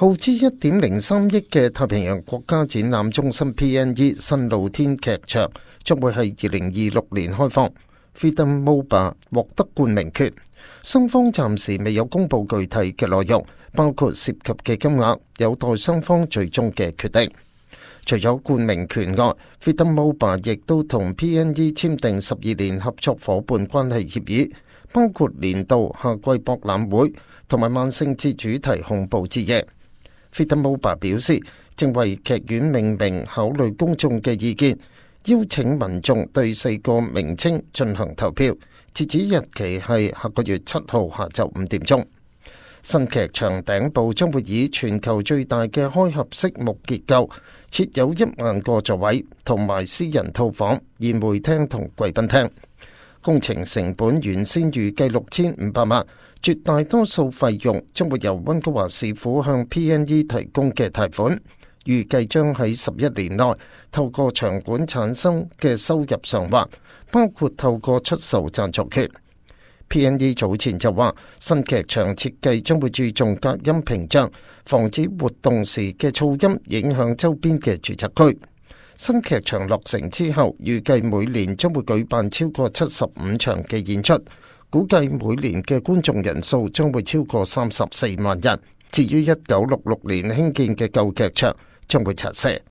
耗資1.03億嘅太平洋國家展覽中心 PNE 新露天劇場將會喺2026年開放。Freedom Mobile 獲得冠名權，雙方暫時未有公布具體嘅內容，包括涉及嘅金額，有待雙方最終嘅決定。除咗冠名權外，Freedom Mobile 亦都同 PNE 簽訂12年合作夥伴關係協議，包括年度夏季博覽會同埋萬聖節主題恐怖之夜。Freedom Mobile 表示，正為劇院命名考慮公眾嘅意見，邀請民眾對4個名稱進行投票，截止日期係下個月7號下晝5點鐘。新劇場頂部將會以全球最大嘅開合式木結構，設有1萬個座位，同埋私人套房、宴會廳同貴賓廳。工程成本原先預計6500萬，絕大多數費用將會由溫哥華市府向 PNE 提供嘅貸款，預計將喺11年內透過場館產生嘅收入償還，包括透過出售贊助權。PNE 早前就話，新劇場設計將會注重隔音屏障，防止活動時嘅噪音影響周邊嘅住宅區。新劇場落成之後，預計每年將會舉辦超過75場嘅演出，估計每年嘅觀眾人數將會超過34萬人。至於1966年興建嘅舊劇場，將會拆卸。